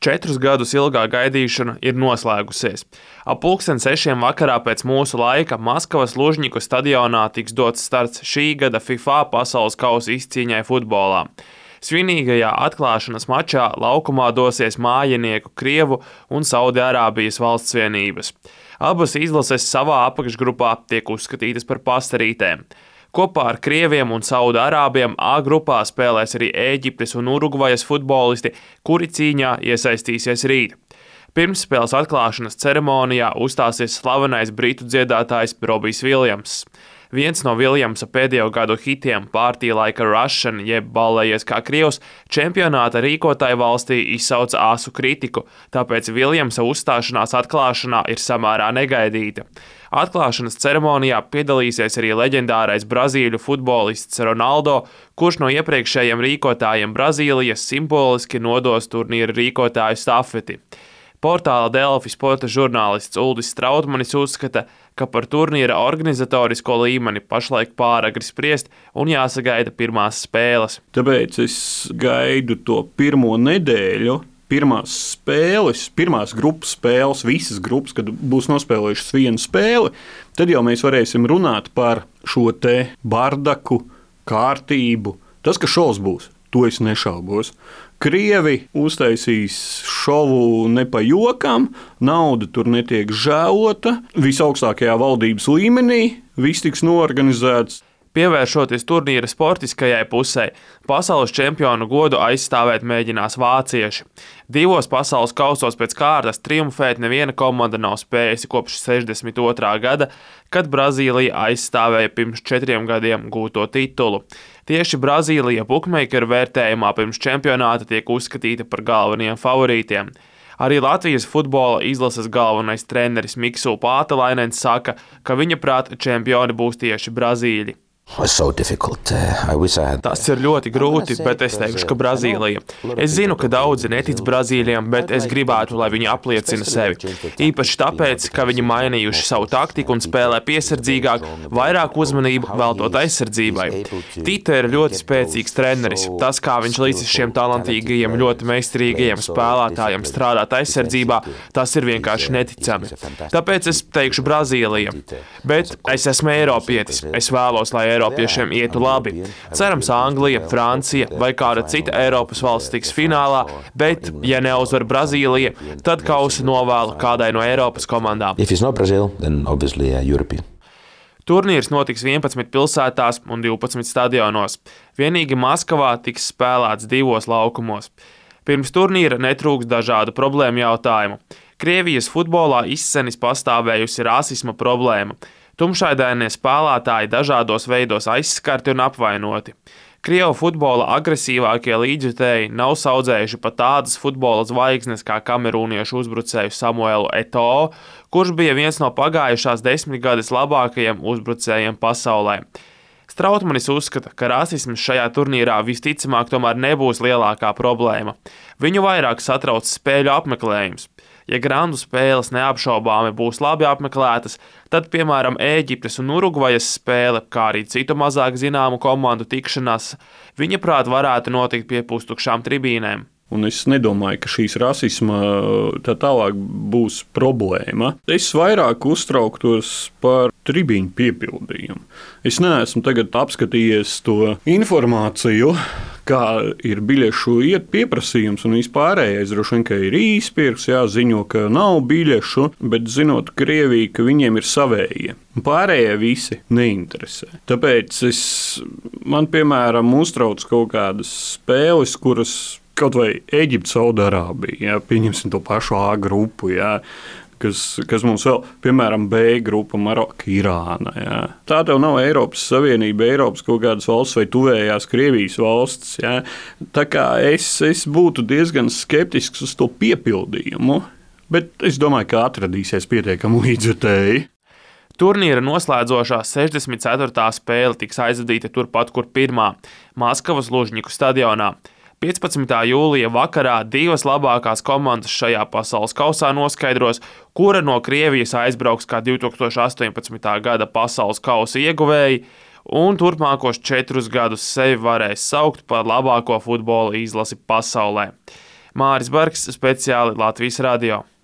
4 gadus ilgā gaidīšana ir noslēgusies. Ap 6:00 vakarā pēc mūsu laika Maskavas Lužņiku stadionā tiks dots starts šī gada FIFA pasaules kausa izcīņai futbolā. Svinīgajā atklāšanas mačā laukumā dosies mājinieku Krievu un Saudi-Arābijas valstsvienības. Abas izlases savā apakšgrupā tiek uzskatītas par pastarītēm. Kopā ar Krieviem un Saudi-Arābiem A grupā spēlēs arī Ēģiptes un Urugvajas futbolisti, kuri cīņā iesaistīsies rīt. Pirmsspēles atklāšanas ceremonijā uzstāsies slavenais britu dziedātājs Robijs Viljamss. Viens no Viljamsa pēdējo gadu hitiem Party Like a Russian, jeb Ballējies kā krievs, čempionāta rīkotāja valstī izsauca asu kritiku, tāpēc Viljamsa uzstāšanās atklāšanā ir samērā negaidīta. Atklāšanas ceremonijā piedalīsies arī leģendārais brazīļu futbolists Ronaldo, kurš no iepriekšējiem rīkotājiem Brazīlijas simboliski nodos turnīra rīkotāju stafeti. Portāla Delfi sporta žurnālists Uldis Strautmanis uzskata, ka par turnīra organizatorisko līmeni pašlaik pāragri spriest un jāsagaida pirmās spēles. Tāpēc es gaidu to pirmo nedēļu, pirmās spēles, pirmās grupas spēles, visas grupas, kad būs nospēlējušas vienu spēli, tad jau mēs varēsim runāt par šo te bardaku, kārtību. Tas, ka šovs būs, to es nešaubos. Krievi uztaisīs šovu ne pa jokam, nauda tur netiek žēlota, visaugstākajā valdības līmenī viss tiks noorganizēts. Pievēršoties turnīra sportiskajai pusē, pasaules čempionu godu aizstāvēt mēģinās vācieši. 2 pasaules kausos pēc kārtas triumfēt neviena komanda nav spējusi kopš 62. gada, kad Brazīlija aizstāvēja pirms 4 gadiem gūto titulu. Tieši Brazīlija bukmeikeru vērtējumā pirms čempionāta tiek uzskatīta par galvenajiem favorītiem. Arī Latvijas futbola izlases galvenais treneris Miksu Pātelainens saka, ka viņa prāt čempioni būs tieši Brazīļi. Tas ir ļoti grūti, bet es teikšu, ka Brazīlija. Es zinu, ka daudzi netic Brazīļiem, bet es gribētu, lai viņi apliecina sevi. Īpaši tāpēc, ka viņi mainījuši savu taktiku un spēlē piesardzīgāk, vairāk uzmanību veltot aizsardzībai. Tite ir ļoti spēcīgs treneris. Tas, kā viņš līdz šiem talantīgajiem, ļoti meistarīgajiem spēlētājiem strādāt aizsardzībā, tas ir vienkārši neticami. Tāpēc es teikšu Brazīlija. Bet es esmu eiropietis. Es vēlos, lai Eiropiešiem ietu labi. Cerams, Anglija, Francija vai kāda cita Eiropas valsts tiks finālā, bet, ja neuzvar Brazīlija, tad kausu novēlu kādai no Eiropas komandām. Turnīrs notiks 11 pilsētās un 12 stadionos. Vienīgi Maskavā tiks spēlēts 2 laukumos. Pirms turnīra netrūks dažādu problēmu jautājumu. Krievijas futbolā izcenis pastāvējusi rasisma problēma. Tumšaidainie spēlētāji dažādos veidos aizskarti un apvainoti. Krievu futbola agresīvākie līdzjutēji nav saudzējuši pat tādas futbola zvaigznes kā kamerūniešu uzbrucēju Samuelu Eto'o, kurš bija viens no pagājušās 10 gadus labākajiem uzbrucējiem pasaulē. Strautmanis uzskata, ka rasisms šajā turnīrā visticamāk tomēr nebūs lielākā problēma. Viņu vairāk satrauc spēļu apmeklējums. Ja grandu spēles neapšaubāmi būs labi apmeklētas, tad, piemēram, Ēģiptes un Urugvajas spēle, kā arī citu mazāk zināmu komandu tikšanās, viņa prāt varētu notikt pie pustukšām tribīnēm. Un es nedomāju, ka šīs rasisma tā tālāk būs problēma. Es vairāk uztrauktos par tribīņu piepildījumu. Es neesmu tagad apskatījies to informāciju, kā ir biļešu pieprasījums un vispārējais. Droši vien, ka ir īspirks, jāziņo, ka nav biļešu, bet zinot Krieviju, ka viņiem ir savējie. Pārējie visi neinteresē. Tāpēc man, piemēram, uztrauc kaut kādas spēles, kuras kaut vai Ēģipte, Saudi-Arābija, pieņemsim to pašu A grupu, kas mums vēl, piemēram, B grupa, Maroka, Irāna. Tā tev nav Eiropas Savienība, Eiropas kaut kādas valsts vai tuvējās Krievijas valsts. Tā kā es būtu diezgan skeptisks uz to piepildījumu, bet es domāju, ka atradīsies pietiekami līdzjutēji. Turnīra noslēdzošā 64. spēle tiks aizvadīta turpat, kur pirmā – Maskavas Lužņiku stadionā. 15. jūlija vakarā 2 labākās komandas šajā pasaules kausā noskaidros, kura no Krievijas aizbrauks kā 2018. gada pasaules kausa ieguvēji un turpmākos 4 gadus sevi varēs saukt par labāko futbola izlasi pasaulē. Māris Bergs, speciāli Latvijas radio.